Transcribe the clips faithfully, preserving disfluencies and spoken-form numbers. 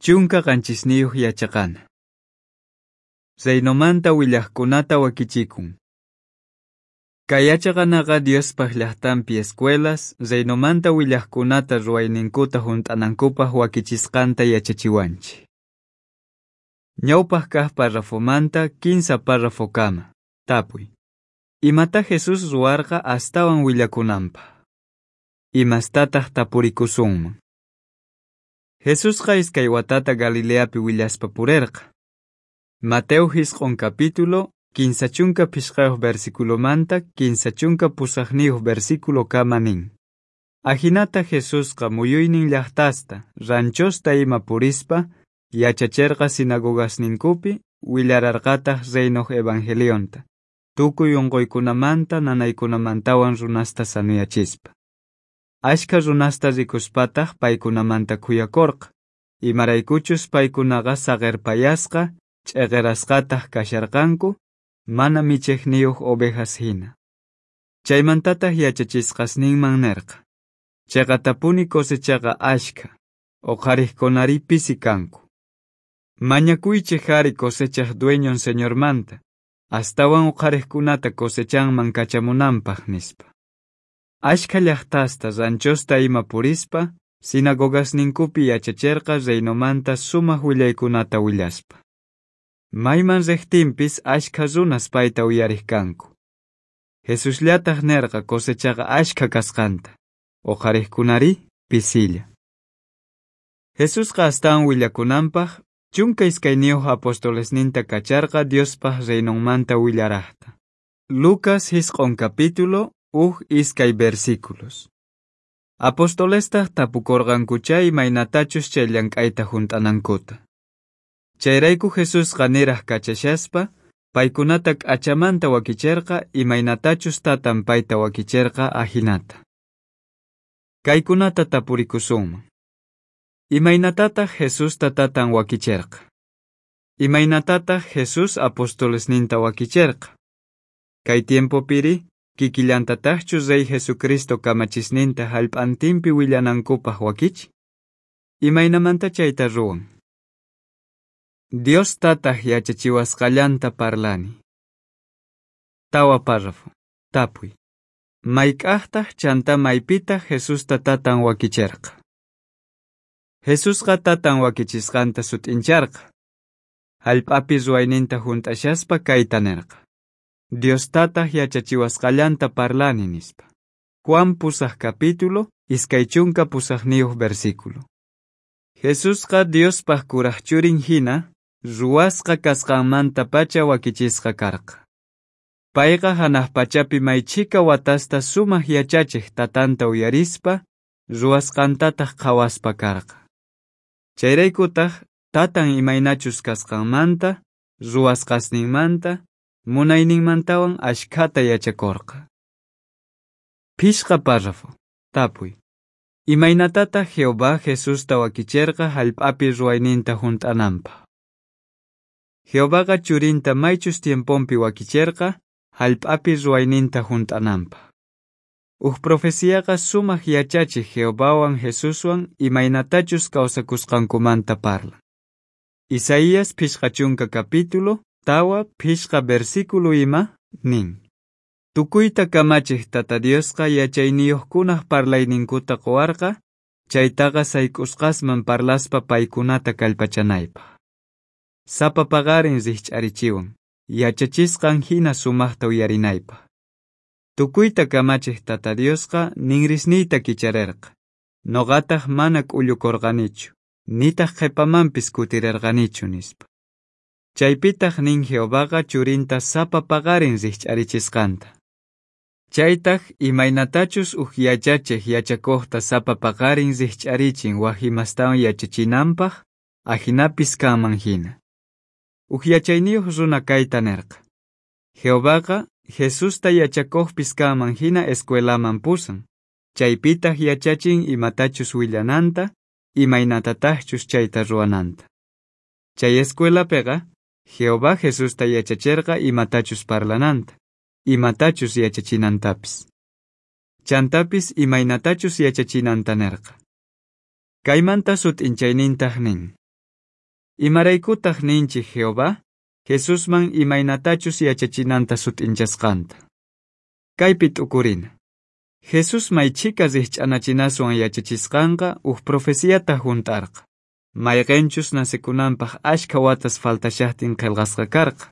Chunka qanchisniyuq yachaqana. Reinomanta willaqkunata wakichikun. Kay yachaqanaqa Diospaq llaqtanpi escuelas, reinomanta willaqkunata ruwayninkuta hunt'anankupaq wakichisqanta yachachiwanchik. Ñawpaq kaq párrafomanta kinsa párrafokama. Tapuy. Imata Jesús ruwarqa astawan willakunanpaq? Imastataq tapurikusunman? Jesusqa iskay watata Galileapi willaspa purerqa. Mateo jisq'on capítulo, kinsa chunka phishqayuq versiculomanta kinsa chunka pusaqniyuq versículo kama nin. Ajinata Jesusqa muyuynin llaqtasta, ranchosta ima purispa, yachacherqa sinagogasninkupi, willararqataq reinoq evangelionta, tukuy unquykunamanta nanaykunamantawan runasta sanuyachispa. Ashka runasta rikuspataq paykunamanta khuyakorqa, imaraykuchus paykunaqa saqerpayasqa, ch'eqerasqataq kasharqanku, mana michejniyuq ovejas hina. Chaymantataq yachachisqasninman nerqa: Cheqatapuni cosechaqa ashkha, uqhariqkunari pisi kanku. Mañakuychej ari cosechaj dueñon Señormanta, astawan uqhariqkunata cosechanman kachamunanpaq, nispa. Ashkha llaqtasta ranchosta ima purispa, sinagogasninkupi yachacherqa reinomanta sumaq willaykunata willaspa. Mayman riqtinpis ashkha runas payta uyariq kanku. Jesusllataq nerqa cosechaqa ashkha kasqanta, uqhariqkunari pisilla. Jesusqa astawan willakunanpaq chunka iskayniyuq apostolesninta kacharqa Diospaq reinonmanta willaraqta. Lucas jisq'on capítulo uj iskay versículos. Apostolestaq tapukorqankucha imaynatachus chay llank'ayta hunt'anankuta. Chayrayku Jesusqa niraq kachashaspa, paykunata k'achamanta wakicherqa imaynatachus tatan payta wakicherqa ajinata. Kaykunata tapurikusunman. Imaynatataq Jesusta tatan wakicherqa? Imaynatataq Jesús apostolesninta wakicherqa? Kay tiempopiri, kikillantataqchu Rey Jesucristo kamachisninta hallp'antinpi willanankupaq wakichin? Imaynamanta chayta ruwan? Dios tataq yachachiwasqallanta parlani. Tawa párrafo. Tapuy. Mayk'aqtaq chanta maypitaq Jesusta tatan wakicherqa? Jesusqa tatan wakichisqanta sut'incharqa. Hallp'api ruwayninta hunt'ashaspa kayta nerqa: Dios tataq yachachiwasqallanta parlani, nispa. Juan pusaq capítulo, iskay chunka pusaqniyuq versículo. Jesusqa Diospaq kuraq churin hina, ruwasqa kasqanmantapacha wakichisqa karqa. Payqa hanaq pachapi may chhika watasta sumaq yachachiq tatanta uyarispa, ruwasqantataq qhawaspa karqa. Chayraykutaq tatan imaynachus kasqanmanta, ruwasqasninmanta, munayninmantawan ashkhata yachakorqa. Phishqa párrafo. Tapuy. Imaynatataq Jehová Jesusta wakicherqa hallp'api ruwayninta hunt'ananpaq? Jehovaqa churinta maychus tiemponpi wakicherqa hallp'api ruwayninta hunt'ananpaq. Uj profeciaqa sumaq yachachiq Jehovawan Jesuswan imaynatachus kawsakusqankumanta parlan. Isaías phishqa chunka capítulo, tawa phishqa versículo ima nin: Tukuyta kamachiq Tata Diosqa yachayniyuqkunaq parlayninkuta quwarqa, chaytaqa sayk'usqasman parlaspa paykunata kallpachanaypaq. Sapa paqarin rikch'arichiwan, yachachisqan hina sumaqta uyarinaypaq. Tukuyta kamachiq Tata Diosqa ninrisniyta kicharerqa, noqataq mana k'ullukorqanichu, nitaq qhipamanpis kutirerqanichu, nispa. Chaypitaq nin Jehovaqa churinta sapa paqarin rikch'arichisqanta. Chaytaq imaynatachus uj yachachiq yachakuqta sapa paqarin rikch'arichin waj imastawan yachachinanpaq, ajinapis kanman hina. Uj yachayniyuq runa kayta nerqa: Jehovaqa Jesusta yachakuqpis kanman hina escuelaman pusan, chaypitaq yachachin imatachus willananta, imaynatataqchus chayta ruwananta. Chay escuelapiqa Jehová Jesusta yachacherqa imatachus parlananta, imatachus yachachinantapis. Chantapis imaynatachus yachachinanta nerqa. Kaymanta sut'inchaynintaq nin: Imaraykutaj ninchej Jehová Jesusman imaynatachus yachachinanta sut'inchasqanta? Kaypi t'ukurina. Jesús may chhika rijch'anachinaswan yachachisqanqa uj profeciata junt'arqa. Mayqenchus nacekunanpaj ashkha watas faltashajtin qhelqasqa karqa.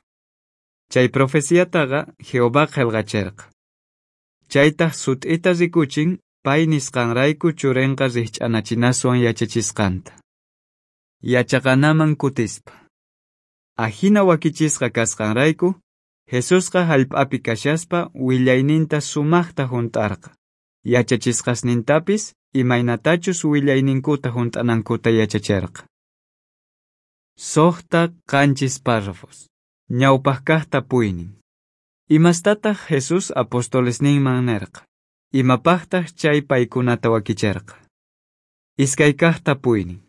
Chay profeciataqa Jehová qhelqacherqa. Chaytaj sut'ita rikuchin pay nisqanrayku churenqa rijch'anachinaswan yachachisqanta. Yachaqanaman kutispa. Ajina wakichisqa kasqanrayku, Jesusqa jallp'api kashaspa willayninta sumajta junt'arqa. Yachachisqasnintapis imaynatachus willayninkuta junt'anankuta yachacherqa. Sojta qanchis párrafos. Ñawpaq kaj tapuynin. Imastataq Jesús apostolesninman nerqa? Imapajtaj chay paykunata wakicherqa? Iskay kaj tapuynin.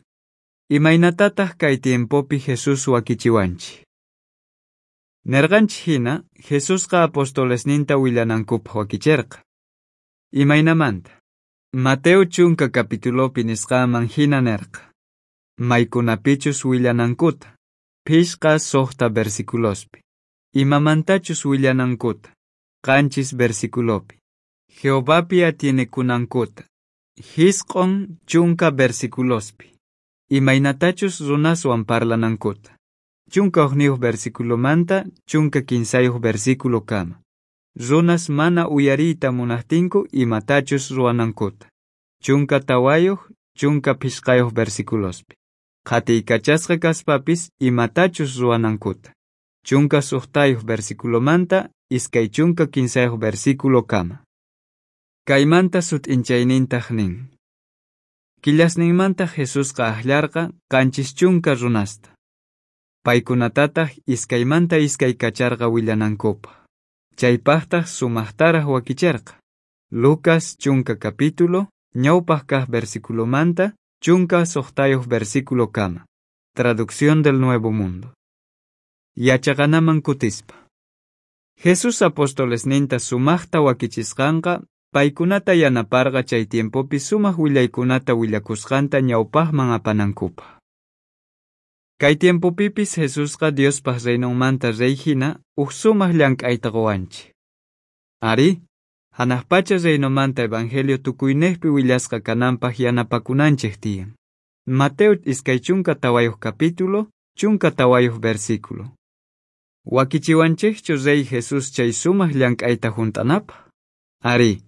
Imaynatataq kay tiempopi Jesús wakichiwanchik? Nerqanchik hina, Jesusqa apostolesninta willanankupaj wakicherqa. Imaynamanta? Mateo chunka capitulopi nisqanman hina nerqa. Maykunapichus willanankuta, phishqa suqta versiculospi. Imamantachus willanankuta, qanchis versiculopi. Jehovapi atienekunankuta, jisq'on chunka versiculospi. Imaynatachus runaswan parlanankuta, chunka hukniyuq versiculomanta chunka kinsayuq versiculokama. Runas mana uyariyta munajtinku imatachus ruwanankuta, chunka tawayuq chunka phishqayuq versiculospi. Qhatiykachasqa kaspapis imatachus ruwanankuta, chunka suqtayuq versiculomanta iskay chunka kinsayuq versiculokama. Kaymanta sut'inchaynintaj nin. Killasninmanta Jesusqa ajllarqa qanchis chunka runasta. Paykunatataj iskaymanta iskay kacharqa willanankupaj. Chaypajtaj sumajtaraj wakicherqa. Lucas chunka capítulo, ñawpaj kaj versiculomanta, chunka suqtayuq versiculokama. Traducción del Nuevo Mundo. Yachaqanaman kutispa. Jesús apostolesninta sumajta wakichisqanqa paykunata yanaparqa chay tiempopi sumaq willaykunata willakusqanta ñawpajman apanankupaj. Kay tiempopipis Jesusqa Diospaj reinonmanta rey hina uj sumaq llank'ayta qowanchik. Ari, hanaq pacha reinomanta evangelio tukuynejpi willasqa kananpaj yanapakunanchej tiyan. Mateo iskay chunka tawayuq capítulo, chunka tawayuq versículo. Wakichiwanchejchu rey Jesús chay sumaq llank'ayta junt'anapaj? Ari,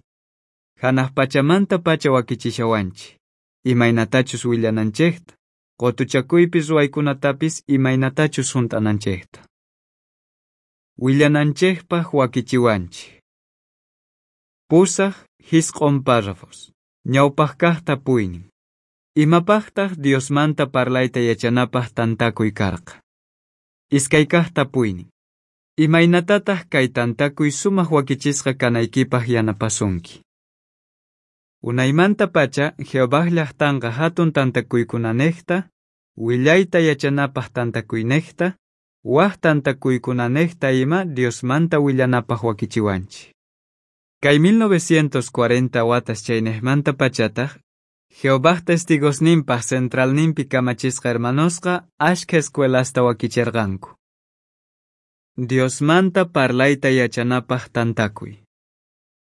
hanaq pachamanta pacha wakichishawanchik, imaynatachus willananchejta, qotuchakuypi ruwaykunatapis imaynatachus junt'ananchejta. Willananchejpaj wakichiwanchik. Pusaj jisq'on párrafos. Ñawpaj kaj tapuynin. Imapajtaj Diosmanta parlayta yachanapaj tantakuy karqa? Iskay kaj tapuynin. Imaynatataj kay tantakuy sumaq wakichisqa kanaykipaj yanapasunki? Unaymanta pacha Jehovaj llajtanqa hatun tantakuykunanejta, willayta yachanapaj tantakuynejta, waj tantakuykunanejta ima Diosmanta willanapaj wakichiwanchik. Kay mil novecientos cuarenta watas chaynejmanta pachataj, Jehovaj testigosninpaj centralninpi kamachisqa hermanosqa ashkha escuelasta wakicherqanku. Diosmanta parlayta yachanapaj tantakuy.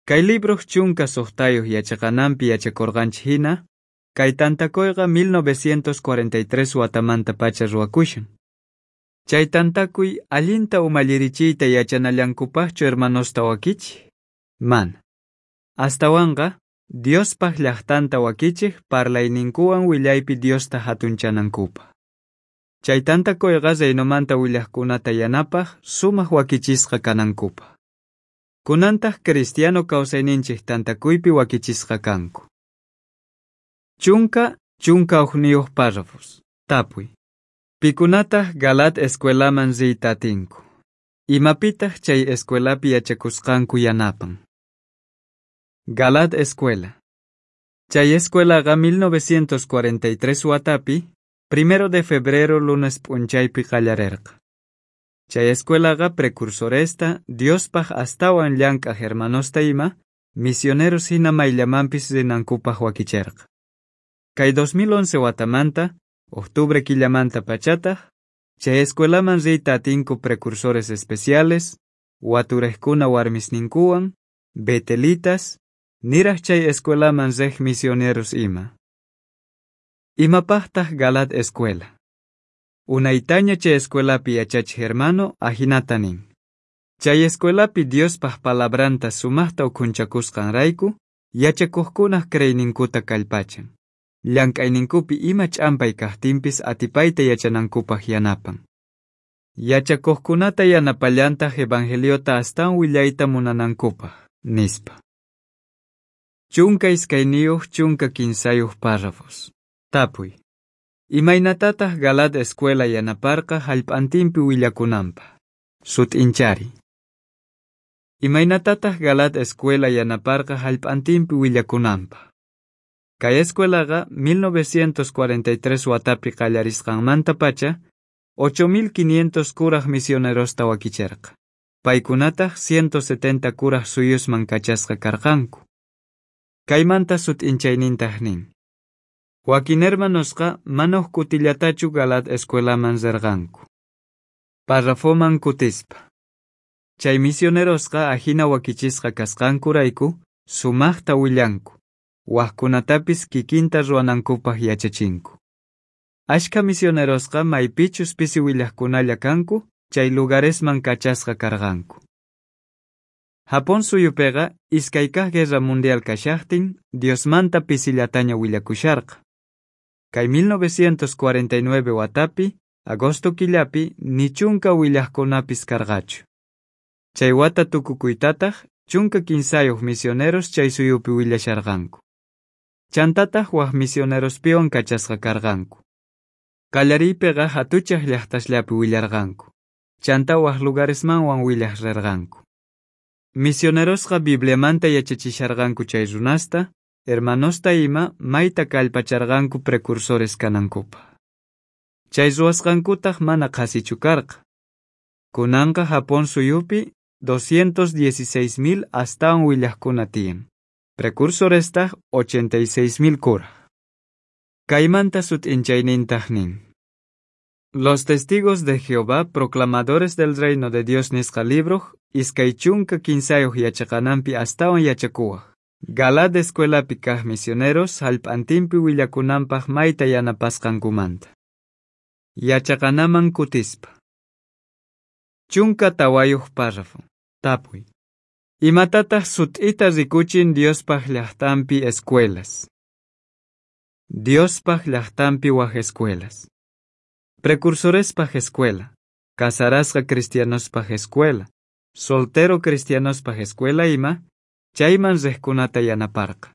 Kay libroj chunka suqtayuq yachaqananpi yachakurqanchik hina, kay tantakuyqa mil novecientos cuarenta y tres watamanta pacha ruwakushan. Chay tantakuy allinta umallirichiyta yachanallankupajchu hermanosta wakichik? Mana. Astawanqa Diospaj llajtanta wakichej parlayninkuwan willaypi Diosta hatunchanankupaj. Chay tantakuyqa reinomanta willajkunata yanapaj sumaq wakichisqa kanankupaj. Kunantaj cristiano kawsayninchik tantakuypi wakichisqa kanku. Chunka chunka hukniyuq párrafos. Tapuy. Pikunataj Galaad escuelaman riyta atinku? Imapitaj chay escuelapi yachakusqanku yanapan? Galaad Escuela. Chay escuelaqa mil novecientos cuarenta y tres watapi, primero de febrero lunes p'unchaypi qallarerqa. Chay escuelaqa precursoresta, Diospaj astawan llank'aj hermanosta ima, misioneros hina mayllamanpis rinankupaj wakicherqa. Kay dos mil once watamanta, Octubre killamanta pachataj, chay escuelaman riyta atinku precursores especiales, waturejkuna warmisninkuwan, betelitas, niraj chay escuelaman rej misioneros ima. Imapajtaj Galaad escuela? Unaytaña chay escuelapi yachachej hermano ajinata nin. Chay escuelapi Diospaj palabranta sumajta ukhunchakusqanrayku, yachakojkunaj creeyninkuta kallpachan. Llank'ayninkupi ima ch'ampay kajtinpis atipayta yachanankupaj yanapan. Yachakojkunata yanapallantaj evangeliota astawan willayta munanankupaj, nispa. Chunka iskayniyuq chunka kinsayuq párrafos. Tapuy. Imaynatataj Galaad escuela yanaparqa jallp'antinpi willakunanpaj? Sut'inchari. Imaynatataj Galaad escuela yanaparqa jallp'antinpi willakunanpaj? Kay escuelaqa mil novecientos cuarenta y tres watapi qallarisqanmantapacha ocho mil quinientos kuraj misionerosta wakicherqa. Paykunataj ciento setenta kuraj suyusman kachasqa karqanku. Kaymanta sut'inchaynintaj nin. Wakin hermanosqa mana uj kutillatachu Galaad escuelaman rerqanku. Parrafoman kutispa. Chay misionerosqa ajina wakichisqa kasqankurayku sumajta willanku. Wajkunatapis kikinta ruwanankupaj yachachinku. Ashkha misionerosqa maypichus pisi willajkunalla kanku, chay lugaresman kachasqa karqanku. Japón suyupiqa iskay kaj guerra mundial kashajtin Diosmanta pisillataña willakusharqa. Kay mil novecientos cuarenta y nueve watapi, agosto killapi, ni chunka willajkunapis karqachu. Chay wata tukukuytataj chunka kinsayuq misioneros chay suyupi willasharqanku. Chantataj waj misionerospiwan kachasqa karqanku. Qallariypiqa hatuchaj llaqtasllapi willarqanku. Chanta waj lugaresmanwan willaj rerqanku. Misionerosqa Bibliamanta yachachisharqanku chay runasta, hermanosta ima mayta kallpacharqanku precursores kanankupaj. Chay ruwasqankutaj mana qhasichu karqa. Kunanqa Japón suyupi doscientos dieciséis mil astawan willajkuna tiyan. Precursorestaj ochenta y seis mil kuraj. Kaymanta sut'inchaynintaj nin. Los testigos de Jehová, proclamadores del reino de Dios nisqa libroj, iskay chunka kinsayuq yachaqananpi astawan yachakuwaj. Galaad escuelapi kaj misioneros jallp'antinpi willakunanpaj mayta yanapasqankumanta. Yachaqanaman kutispa. Chunka tawayuq párrafo. Tapuy. Imatataj sut'ita rikuchin Diospaj llajtanpi escuelas? Diospaj llajtanpi waj escuelas. Precursorespaj escuela, casarasqa cristianospaj escuela, soltero cristianospaj escuela ima, chayman rejkunata yanaparqa.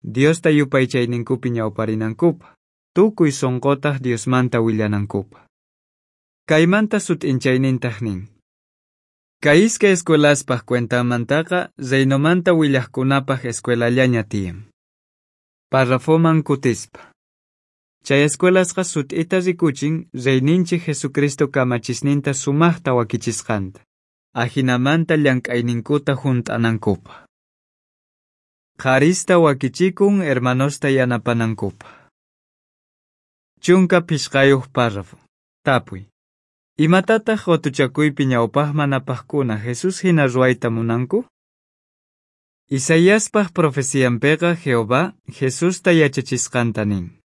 Diosta yupaychayninkupi ñawparinankupaj, tukuy sonqotaj Diosmanta willanankupaj. Kaymanta sut'inchaynintaj nin. Kay iskay escuelaspaj cuentanmantaqa reinomanta willajkunapaj escuelallaña tiyan. Parrafoman kutispa. Chay escuelasqa sut'ita rikuchin reyninchik Jesucristo kamachisninta sumajta wakichisqanta. Ajinamanta llank'ayninkuta junt'anankupaj. Qharista wakichikun hermanosta yanapanankupaj. Chunka phishqayuq párrafo. Tapuy. Imatataj qotuchakuypi ñawpajman apajkuna Jesús hina ruwayta munanku? Isaiaspaj profecianpiqa Jehová Jesusta yachachisqanta nin.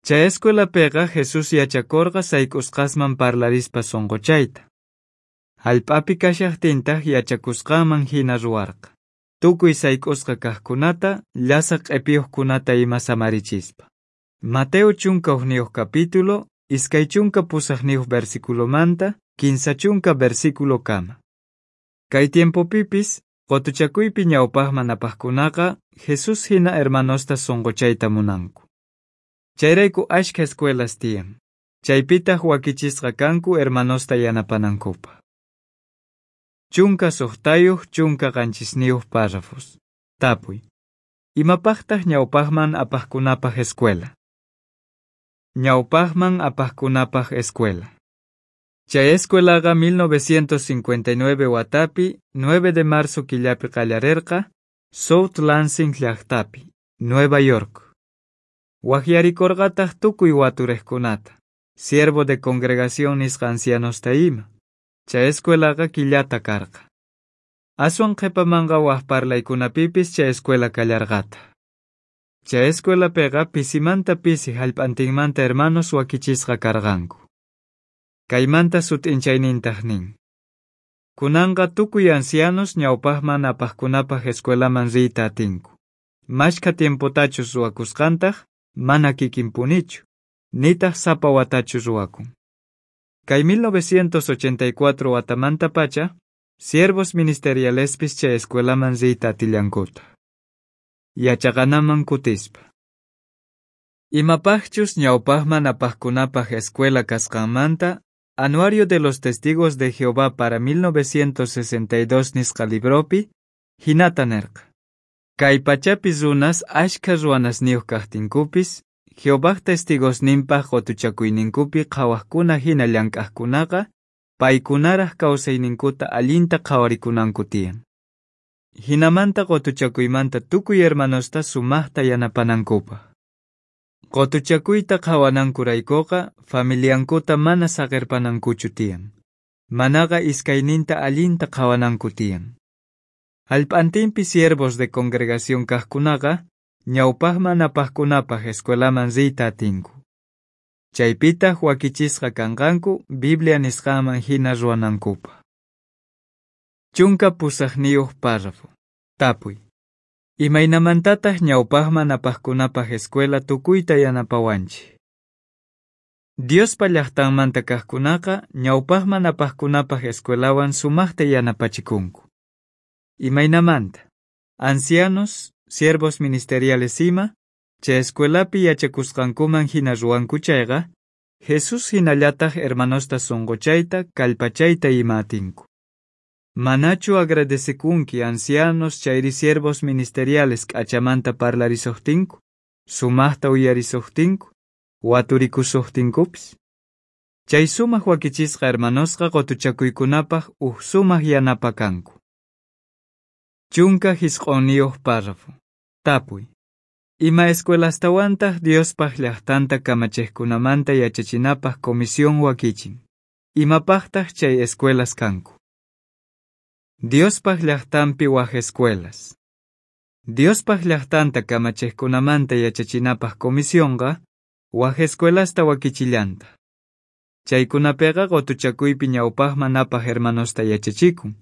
Chay escuelapiqa Jesús yachakorqa sayk'usqasman parlarispa sonqochayta. Jallp'api kashajtintaj yachakusqanman hina ruwarqa. Tukuy sayk'usqa kajkunata, llasa q'epiyuqkunata ima samarichispa. Mateo chunka hukniyuq capítulo, iskay chunka pusaqniyuq versiculomanta, kinsa chunka versículo kama. Kay tiempopipis, qotuchakuypi ñawpajman apajkunaqa Jesús hina hermanosta sonqochayta munanku. Chayrayku ashkha escuelas tiyan. Chaypitaj wakichisqa kanku hermanosta yanapanankupaj. Chunka suqtayuq chunka qanchisniyuq párrafos. Tapuy. Imapajtaj ñawpajman apajkunapaj escuela? Ñawpajman apajkunapaj escuela. Chay escuelaqa mil novecientos cincuenta y nueve watapi, nueve de marzo killapi qallarerqa, South Lansing llaqtapi, Nueva York. Wajyarikorqataj tukuy waturejkunata, siervo de congregación nisqa ancianosta ima. Chay escuelaqa killata karqa. Aswan qhepamanqa waj parlaykunapipis chay escuela kallarqata. Chay escuelapeqa pisimanta pisi jallp'antinmanta hermanos wakichisqa karqanku. Kaymanta sut'inchaynintaj nin: Kunanqa tukuy ancianos ñawpajman apajkunapaj escuelaman riyta atinku. Mashkha tiempotachus ruwakusqantaj mana kikinpunichu, nitaj sapa watachu ruwakun. Kay mil novecientos ochenta y cuatro watamantapacha, siervos ministerialespis chay escuelaman riyta atillankuta. Yachaqanaman kutispa. Imapajchus ñawpajman apajkunapaj escuela kasqanmanta, Anuario de los Testigos de Jehová para mil novecientos sesenta y dos nisqa libropi, hinata nerqa: Kay pachapi runas ashkha ruwanasniyuq kajtinkupis, Jehovaj testigosninpaj qotuchakuyninkupi qhawajkuna hina llank'ajkunaqa, paykunaraj kawsayninkuta allinta qhawarikunanku tiyan. Hinamanta qotuchakuymanta tukuy hermanosta sumajta yanapanankupaj. Qotuchakuyta qhawanankuraykuqa familiankuta mana saqerpanankuchu tiyan. Manaqa iskayninta allinta qhawananku tiyan. Jallp'antinpi siervos de congregación kajkunaqa ñawpajman apajkunapaj escuelaman riyta atinku. Chaypitaj wakichisqa kanqanku Biblia nisqanman hina ruwanankupaj. Chunka pusajniyuq párrafo. Tapuy: Imaynamantataj ñawpajman apajkunapaj escuela tukuyta yanapawanchik? Diospa llajtanmanta kajkunaqa ñawpajman apajkunapaj escuelawan sumajta yanapachikunku. Imaynamanta? Ancianos, siervos ministeriales ima, chay escuelapi yachakusqankuman hina ruwanku chayqa, Jesús hinallataj hermanosta sonqochayta, kallpachayta ima atinku. Manachu agradecekunki ancianos chayri siervos ministeriales k'achamanta parlarisojtinku, sumajta uyarisojtinku, waturikushojtinkupis? Chay sumaj wakichisqa hermanosqa qotuchakuykunapaj uj sumaj yanapa kanku. Chunka jisq'onniyuq párrafo. Tapuy: Ima escuelastawantaj Diospaj llajtanta kamachejkunamanta yachachinapaj comisión wakichin? Imapajtaj chay escuelas kanku? Diospaj llajtanpi waj escuelas. Diospaj llajtanta kamachejkunamanta yachachinapaj comisionqa waj escuelasta wakichillanta. Chaykunapiqa qotuchakuypi ñawpajman apaj hermanosta yachachikun.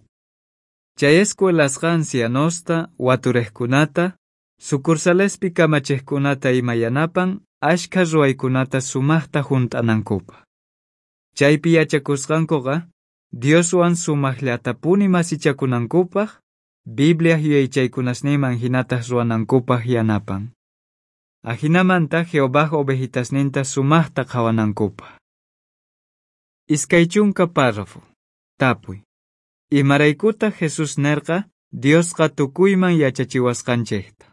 Chay escuelasqa ancianosta, waturejkunata, sucursalespi kamachejkunata ima yanapan ashkha ruwaykunata sumajta junt'anankupaj. Chaypi yachakusqankuqa Dioswan sumajllatapuni masichakunankupaj, Biblia yuyaychaykunasninman hinataj ruwanankupaj yanapan. Ajinamanta Jehovaj ovejitasninta sumajta qhawanankupaj. Iskay chunka párrafo. Tapuy: Imaraykutaj Jesús nerqa Diosqa tukuyman yachachiwasqanchejta?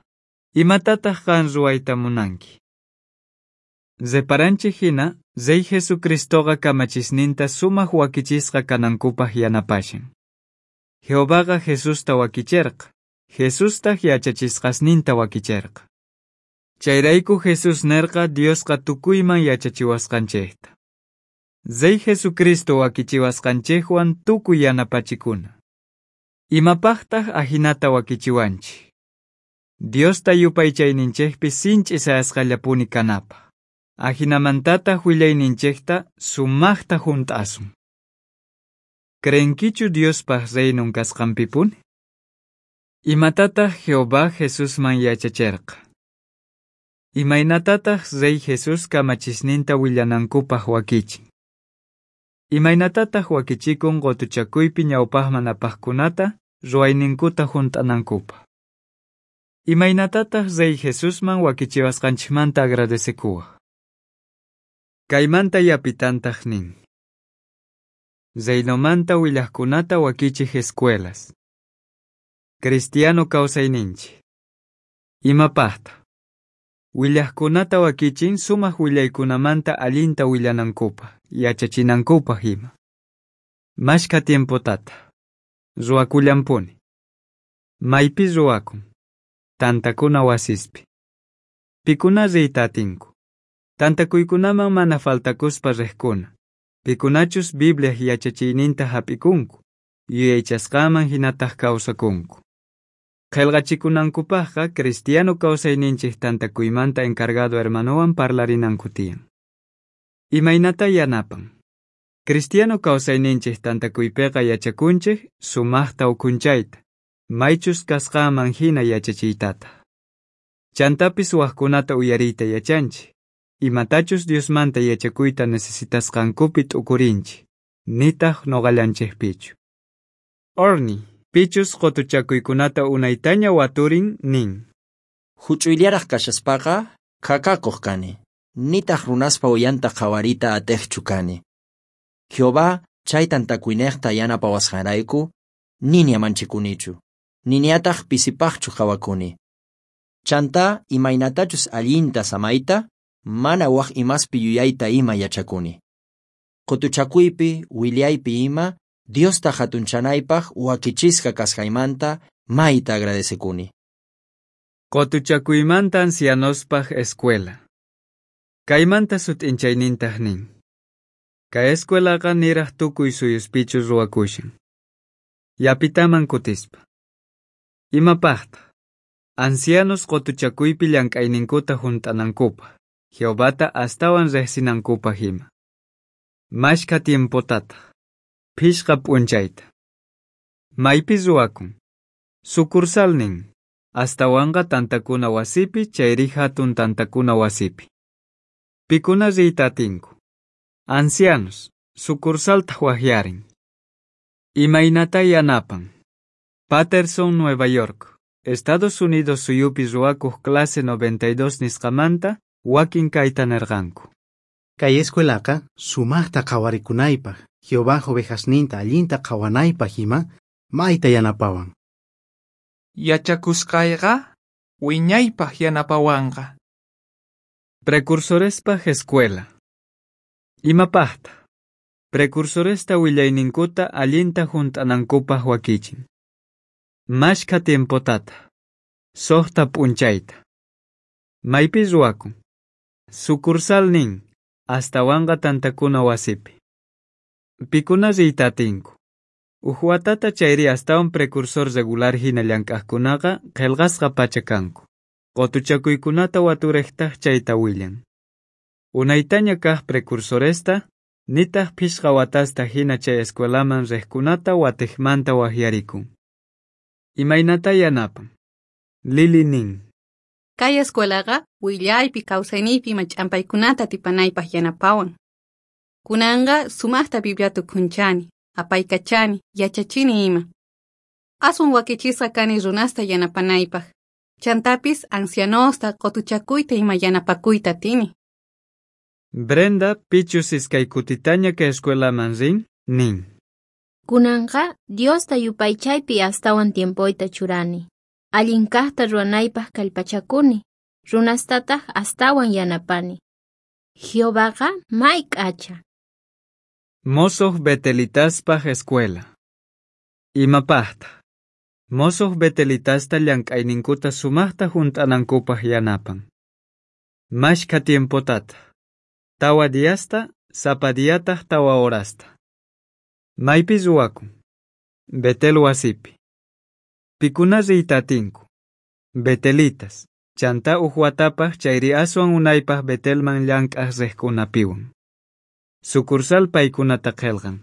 Imatataj qan ruwayta munanki? Reparanchej hina, Rey Jesucristoqa kamachisninta sumaj wakichisqa kanankupaj yanapashan. Jehovaqa Jesusta wakicherqa, Jesustaj yachachisqasninta wakicherqa. Chayrayku Jesús nerqa Diosqa tukuyman yachachiwasqanchejta. Rey Jesucristo wakichiwasqanchejwan tukuy yanapachikuna. Imapajtaj ajinata wakichiwanchej? Diosta yupaychayninchejpi sinch'i sayasqallapuni kanapaj. Ajinamantataj willayninchejta sumajta junt'asun. Creenkichu Diospaj reinon kasqanpipuni? Imatataj Jehová Jesusman yachacherqa? Imaynatataj Rey Jesús kamachisninta willanankupaj wakichin? Imaynatataj wakichikun qotuchakuypi ñawpajman apajkunata ruwayninkuta junt'anankupaj? Imaynatataj Rey Jesusman wakichiwasqanchikmanta agradecekuwaj? Kaymanta yapitantaj nin: Reinomanta willajkunata wakichij escuelas. Cristiano kawsayninchik. Imapajta? Willajkunata wakichin sumaj willaykunamanta allinta willanankupaj, yachachinankupaj ima. Mashkha tiempotata? Ruwakullanpuni. Maypi ruwakun? Tantakuna wasispi. Pikuna riyta atinku. Tantakuykunaman mana faltakuspa rejkuna. Pikunachus Bibliaj yachachiyninta jap'ikunku, yuyaychasqanman jinataj kawsakunku. Qhelqachikunankupajqa cristiano kawsayninchej tantakuymanta encargado hermanowan parlarinanku tiyan. Imaynata yanapan. Cristiano kawsayninchej tantakuypeqa yachakunchej sumajta ukhunchayta, maychus kasqanman jina yachachiytataj. Chantapis wajkunata uyariyta yachanchej, imatachus Diosmanta yachakuyta necesitasqankupi t'ukurinchej, nitaj noqallanchejpichu. Orni, pichus qotuchakuykunata unaytaña waturin nin. Huch'uyllaraj kashaspaqa khakakuq kani, nitaq runaspa uyanta qhawariyta atejchu kani. Jehová chay tantakuynejta yanapawasqanrayku niña manchikunichu, niñataq pisipaqchu qhawakuni. Chantá imaynatachus allinta samayta, mana waj imaspi yuyayta ima yachakuni. Qutuchakuypi, willaypi ima, Diosta hatunchanaypaq wakichisqa kasqaymanta mayta agradecekuni. Qotuchakuymanta ancianospaj escuela. Kaymanta sut'inchaynintaj nin. Kay escuelaqa niraj tukuy suyuspichu ruwakushan. Yapitaman kutispa. Imapajtaj? Ancianos qotuchakuypi llank'ayninkuta junt'anankupaj, Jehovata astawan rejsinankupaj ima. Mashkha tiempotataj. Phishqa p'unchayta. Maypi ruwakun. Sucursal nin. Astawanqa tantakuna wasipi chayri hatun tantakuna wasipi. Pikuna riyta atinku. Ancianos, sucursaltaj wajyarin. Imaynata yanapan. Patterson, Nueva York, Estados Unidos suyupi ruwakuj clase noventa y dos nisqamanta wakin kayta nerqanku. Kay escuelaqa sumajta qhawarikunaypaj, Jehová ovejasninta allinta qhawanaypaj ima mayta yanapawan. Yachakusqayqa wiñaypaj yanapawanqa. Precursorespaj escuela. Imapajtaj? Precursoresta willayninkuta allinta junt'anankupaj wakichin. Mashkha tiempotataj. Sojta p'unchayta. Maypi ruwakun. Sucursal nin, astawanqa tantakuna wasipi. Pikuna riyta atinku. Uj watata chayri astawan precursor regular hina llank'ajkunaqa qhelqasqa pacha kanku. Qotuchakuykunata waturejtaj chayta willan. Unaytaña kaj precursoresta, nitaj phishqa watasta hina chay escuelaman rejkunata watejmanta wajyarikun. Imaynata yanapan. Lili nin. Kay escuelaqa willaypi kawsayniypi ima ch'ampaykunata atipanaypaj yanapawan. Kunanqa sumajta Bibliata ukhunchani, apaykachani, yachachini ima. Aswan wakichisqa kani runasta yanapanaypaj. Chantapis ancianosta qotuchakuyta ima yanapakuyta atini. Brenda pichus iskay kutitaña kay escuelaman rin, nin. Kunanqa Diosta yupaychaypi astawan tiempoyta churani. Allin kajta ruwanaypaj kallpachakuni, runastataq astawan yanapani. Jehovaqa may k'acha. Mosoj betelitaspaj escuela. Imapajtaj? Mosoj betelitasta llank'ayninkuta sumajta junt'anankupaj yanapan. Mashkha tiempotataj. Tawa diasta, sapa diataj tawa horasta. Maypi ruwakun. Betel wasipi. Pikuna riyta atinku. Betelitas, chantá uj watapaj chayri aswan unaypaj Betelman llank'aj rejkunapiwan. Sucursal paykunata qhelqan.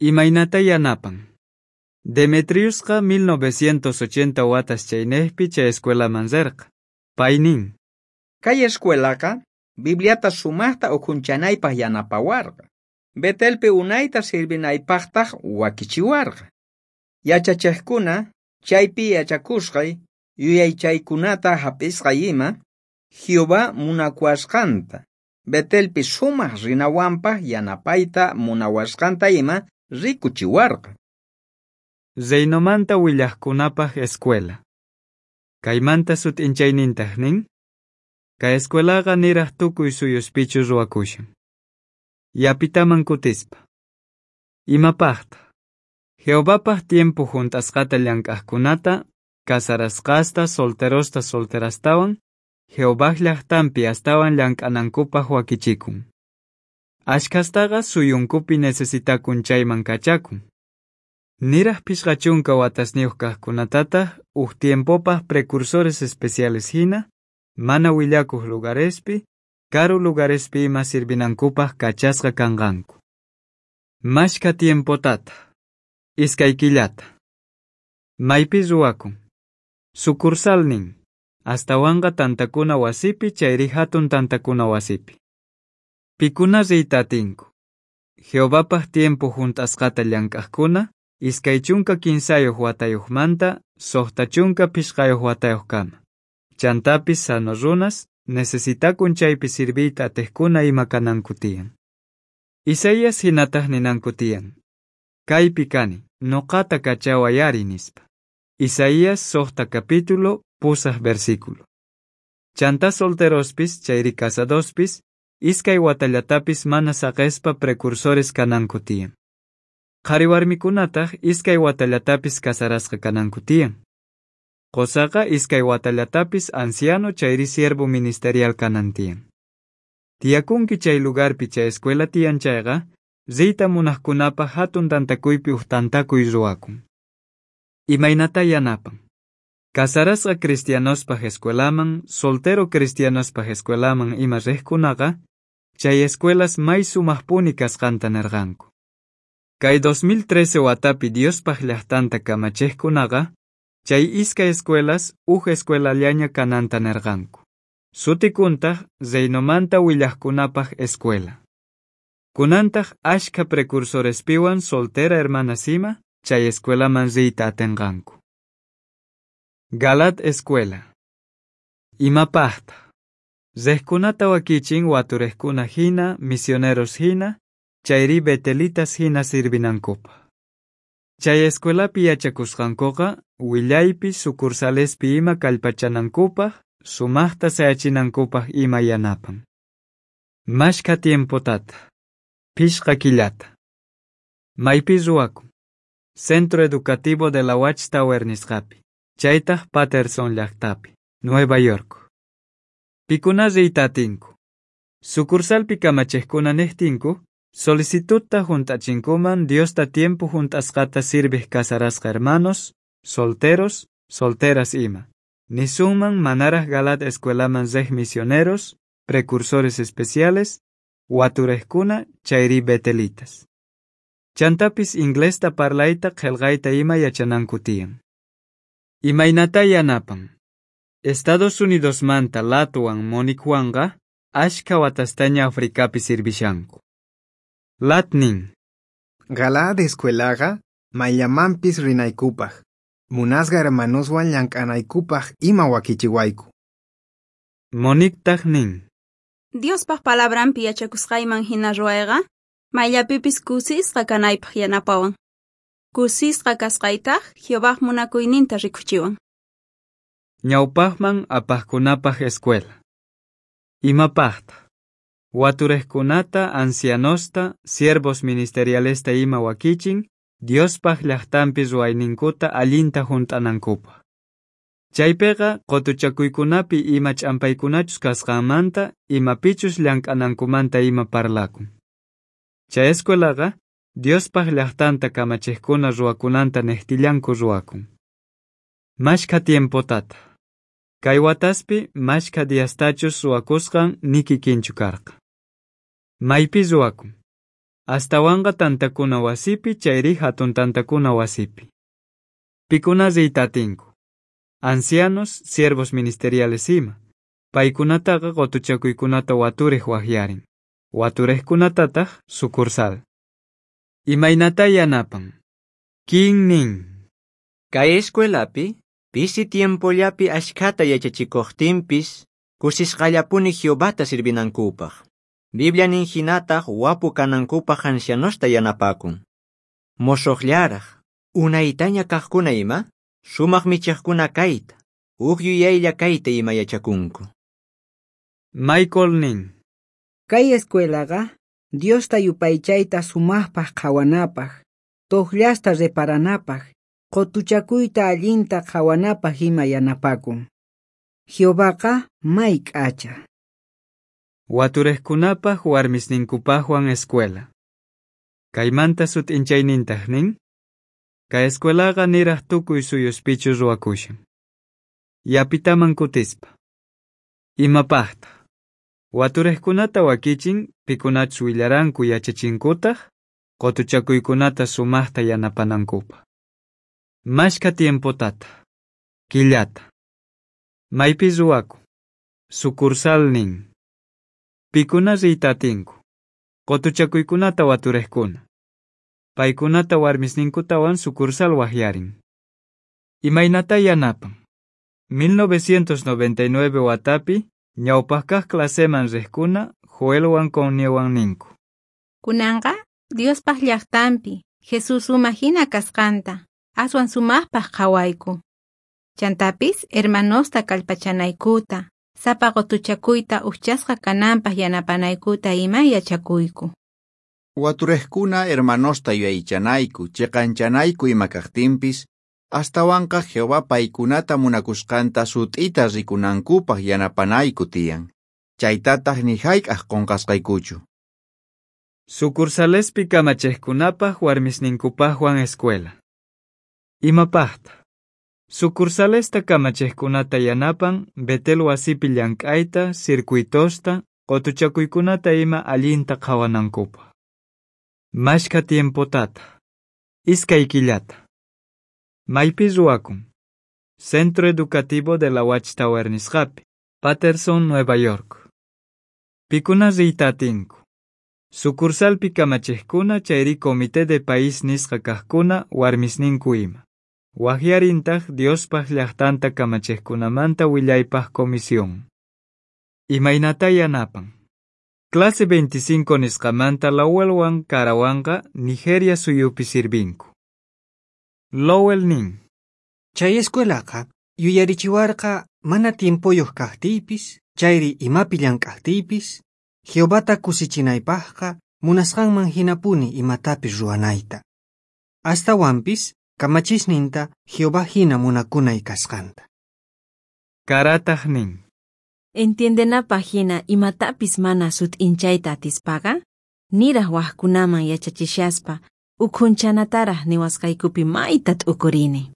Imaynata yanapan. Demetriusqa mil novecientos ochenta watas chaynejpi chay escuelaman rerqa. Pay nin. Kay escuelaqa Bibliata sumajta ukhunchanaypaj yanapawarqa. Betelpi unayta sirvinaypajtaj wakichiwarqa. Yachachejkuna chaypi yachakusqay yuyaychaykunata hap'isqay ima Jehová munakuwasqanta, Betelpi sumaj rinawanpaj yanapayta munawasqanta ima rikuchiwarqa. Reinomanta willajkunapaj escuela. Kaymanta sut'inchaynintaj nin. Kay escuelaqa niraj tukuy suyuspichu ruwakushan. Yapitaman kutispa. Imapajtaj? Jehovapaj tiempo junt'asqata llank'ajkunata, casarasqasta, solterosta, solterastawan, Jehovaj llajtanpi astawan llank'anankupaj wakichikun. Ashkhastaqa suyunkupi necesitakun chayman kachakun. Niraj phishqa chunka watasniyuq kajkunatataq uj tiempopaj precursores especiales hina, mana willakuq lugarespi, karu lugarespi ima sirvinankupaj kachasqa kanqanku. Mashkha tiempotata, iskay killata. Maypi ruwakun. Sucursal nin, astawanqa tantakuna wasipi chayri hatun tantakuna wasipi. Pikuna riyta atinku. Jehovapaj tiempo junt'asqata llank'ajkuna, iskay chunka kinsayuq watayuqmanta suqta chunka phishqayuq watayuqkama. Chantapis sano runas necesitakun chaypi sirviyta atejkuna ima kananku tiyan. Isaías hinataq ninanku tiyan. Kaypi kani, noqata kachaway ari nispa. Isaías suqta capítulo pusaj versículo. Chanta solterospis chayri casadospis, iskay watallatapis mana saqespa precursores kananku tiyan. Qhari warmikunataq iskay watallatapis casarasqa kananku tiyan. Qosaqa iskay watallatapis anciano chayri siervo ministerial kanan tiyan. Tiyakunki chay lugarpi chay escuela tiyan chayqa, riyta munajkunapaj hatun tantakuypi uj tantakuy ruwakun. Imaynata yanapan. Casarasqa cristianospaj escuelaman, soltero cristianospaj escuelaman ima riqkunaqa, chay escuelas may sumajpuni kasqanta nerqanku. Kay dos mil trece watapi Diospaj llajtanta kamachejkunaqa, chay iskay escuelas uj escuelallaña kananta nerqanku. Sutikuntaj Reinomanta willajkunapaj escuela. Kunantaq ashkha precursorespiwan soltera hermanas ima, chay escuelaman riyta atenqanku. Galaad Escuela. Imapajta. Riqkunata wakichin waturejkuna hina, misioneros hina, chayri betelitas hina sirvinankupaj. Chay escuelapi yachakusqankuqa, willaypi sucursalespi ima kallpachanankupaj, sumajta sayachinankupaj ima yanapan. Mashkha tiempotata. Phishqa killata. Maypi ruwakun. Centro Educativo de la Watchtower nisqapi, chaytaj Patterson llajtapi, Nueva York. Pikuna riyta atinku. Sucursalpi kamachejkuna nejtinku, solicitudta junt'achinkuman Diosta tiempo junt'asqata sirvej casarasqa hermanos, solteros, solteras ima. Nisunman manaraj Galaad escuelaman rej misioneros, precursores especiales, waturejkuna chayri betelitas. Chantapis inglesta parlayta qhelqayta ima yachananku tiyan. Imaynata yanapan. Estados Unidosmanta Latwan Moniquewanqa ashkha watastaña Africapi sirvishanku. Lat nin. Galaad escuelaqa mayllamanpis rinaykupaj, munasqa hermanoswan llank'anaykupaj ima wakichiwayku. Moniquetaq nin. Diospaj palabranpi yachakusqayman hina ruwayqa, mayllapipis kusisqa kanaypaj yanapawan. Kusisqa kasqaytaq Jehovaj munakuyninta rikuchiwan. Ñawpajman apajkunapaj escuela. Imapajta. Waturejkunata, ancianosta, siervos ministerialesta ima wakichin, Diospaj llajtanpi ruwayninkuta allinta junt'anankupaj. Chaypiqa qutuchakuykunapi ima ch'ampaykunachus kasqanmanta, imapichus llank'anankumanta ima parlakun. Chay escuelaqa Diospaj llajtanta kamachejkuna ruwakunanta nejtillanku ruwakun. Mashkha tiempotata. Kay wataspi mashkha diastachus ruwakusqan ni kikinchu karqa. Maypi ruwakun. Astawanqa tantakuna wasipi chayri hatun tantakuna wasipi. Pikuna riyta atinku. Ancianos, siervos ministeriales ima. Paykunataqa qutuchakuykunata waturej wajyarin. Waturejkunatataq sucursal. Imaynata yanapan. Kin nin. Kay escuelapi, pisi tiempollapi ashkhata yachachikuqtinpis, kusisqallapuni Jehovata sirvinankupaj. Biblia nin hinataq wapu kanankupaj ancianosta yanapakun. Mosoqllaraj, unaytaña kaqkuna ima, sumaq michiqkuna kayta, uj yuyaylla kayta ima yachakunku. Michael nin. Kay escuelaqa Diosta yupaychayta sumaqpaq qhawanapaq, toqllasta reparanapaq, qutuchakuyta allinta qhawanapaq ima yanapakun. Jehovaqa may k'acha. Waturejkunapaj warmisninkupajwan escuela. Kaymanta sut'inchaynintaq nin, kay escuelaqa niraj tukuy suyuspichu ruwakushan. Yapitaman kutispa. Imapajtaq? Waturejkunata wakichin pikunachus willaranku yachachinkutaq, qutuchakuykunata sumaqta yanapanankupaq. Mashkha tiempotata, killata. Maypi ruwakun. Sucursal nin. Pikuna riyta atinku. Qutuchakuykunata waturejkuna. Paykunata warmisninkutawan sucursal wajyarin. Imaynata yanapan. mil novecientos noventa y nueve watapi ñawpaq kaq claseman riqkuna Joelwan Conniewan ninku. Kunanqa Diospaq llaqtanpi Jesus uma hina kasqanta aswan sumaqpaq qhawayku. Chantapis hermanosta kallpachanaykuta, sapa qutuchakuyta ujchasqa kananpaq yanapanaykuta ima yachakuyku. Waturejkuna hermanosta yuyaychanayku, chiqanchanayku ima kaqtinpis, astawanqa Jehová paykunata munakusqanta sut'ita rikunankupaq yanapanayku tiyan. Chaytataq ni hayk'aq qunqasqaykuchu. Sucursalespi kamachejkunapaq warmisninkupaqwan escuela. Imapaqta? Sucursalesta kamachejkunata yanapan Betel wasipi llank'ayta, circuitosta, qutuchakuykunata ima allinta qhawanankupaq. Mashkha tiempotata. Iskay killata. Maypi ruwakun. Centro Educativo de la Watchtower nisqapi, Patterson, Nueva York. Pikuna riyta atinku. Sucursalpi kamachejkuna chayri Comité de País nisqa kaqkuna warmisninku ima. Wajyarintaq Diospaq llaqtanta kamachejkunamanta willaypaq comisión. Imaynata yanapan. Clase veinticinco nisqamanta Lowellwan Karawanqa Nigeria suyupi sirvinku. Lowell nin. Chay escuelaqa yuyarichiwarqa mana tiempoyuq kaqtiypis, chayri imapi llank'aqtiypis, Jehovata kusichinaypaqqa munasqanman hinapuni imatapis ruwanayta. Astawanpis kamachisninta Jehová hina munakunay kasqanta. Karataq nin. Entiendenapaq hina imatapis mana sut'inchayta atispaqa, niraj wajkunaman yachachishaspa ukhunchanatarej niwasqaykupi mayta t'ukurini.